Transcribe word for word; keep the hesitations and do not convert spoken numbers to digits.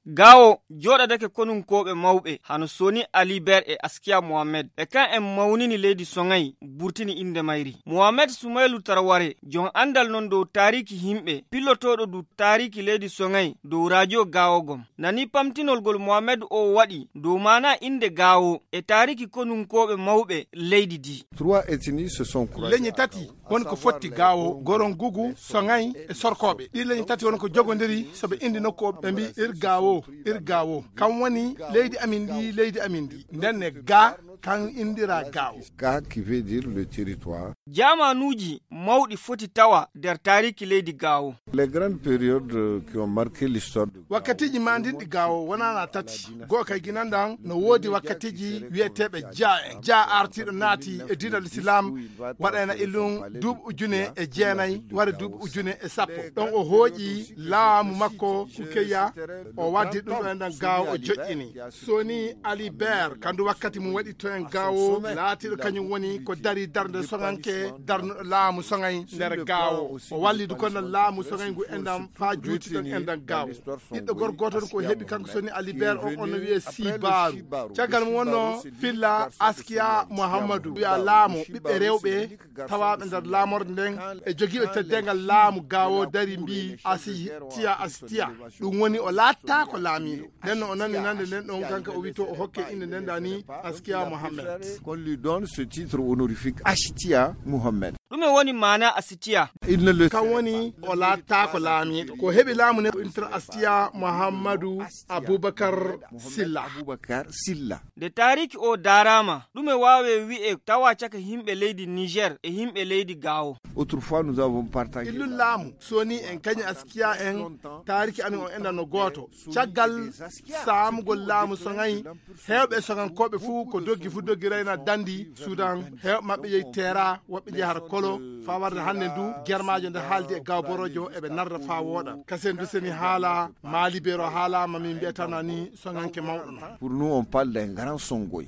Gaawo jooɗadake konunkooɓe mawɓe hano Soni Aliber e Askiya Mohamed. E kan en mawnini leydi Soŋay, burtini innde mayri. Mohamed Sumaylu Tarware, jon anndal non dow taariki himɓe, pillotooɗo du taariki leydi Soŋay dow rajo Gaawo gom. Nani pamtinol gol Mohamed o waɗi dow maana innde Gaawo e taariki konunkooɓe mawɓe leydi di. Trois ethnies se sont croisées. Leñi tati woni ko fotti Gaawo, Gorongugu, Soŋay e Sorkooɓe. Ɗi leñi tati woni ko jogondiri, so ɓe indi nokku o, ɓe mbi ir Gaawo, ir Gaawo. Kam woni leydi amin ndi, leydi amin ndi. Nden ne ga, kan indira Gaawo. Ga qui veut dire le territoire. Jaamanuuji mawɗi foti tawa nder taariki leydi Gaawo. Les grandes périodes, euh, qui ont marqué l'histoire de Wakkatiiji mandinɗi Gaawo wonana tati. Goo kay ginan ɗan no woodi wakkatiiji wi'eteeɓe Jaa en. Jaa artiiɗo naati e diinal Islam waɗayna illum duuɓi ujune e jeenay, wara duuɓi ujune e sappo. Ɗon o hooƴi laamu makko Kukeya, o waddi ɗum ɗo e nder Gaawo o joƴƴini. Soni Ali Ber, kandu wakkati mum waɗi to en Gaawo, laatiiɗo kañum woni ko dari darnde Soŋanke, darnuɗo laamu Soŋay nder Gaawo. O walli du kono laamu Soŋay ngu enɗam faa juuti ɗon enɗam Gaawo. Ɓiɗɗo gorko gooto ko heɓi kanko Soni Ali Ber on, on no wi'e Sibaaru. Caggal mum wonno filla Askiya Muhammadu wi'a laamo ɓiɓɓe rewɓe tawaaɓe nder laamorde nden e jogiiɓe teddengal laamu Gaawo dari mbii Asitiya, Asitiya. Ɗum woni o laattaako laamiiɗo. Nden no o nani nande nden ɗon kanka o wito o hokke innde nden dani Askiya Mohammed. Qu'on lui donne ce titre honorifique Ashtiya Mohammed. Ɗume woni maana Asitiya? Il ne le Kan woni o laattaako laamiiɗo. Ko heɓi laamu ne intra Asitiya Muhammadu Abubakar Silla. Abubakar Silla. Nde taariki o daaraama, ɗume waawe wi'e tawa caka himɓe leydi Niger e himɓe leydi Gaawo? Autrefois, nous avons partagé. Illun laamu, Soni en kañi Askiya en, taariki amin o enɗan no gooto. Caggal saamugol laamu Soŋay, heewɓe Soŋankooɓe fuu ko doggi fuu doggi rayna dandi Sudan. Heewɓe maɓɓe yehi Teera, woɓɓe njehi har Kolo, faa warde hannde ndu germaajo nde haaldi e Gaawo Borojo eɓe narra faa wooɗa. Kasen du seni haala, Maali Beero haala, ma min mbi'atana ni Soŋanke mawɗo no. Pour nous, on parle d'un grand Songoy.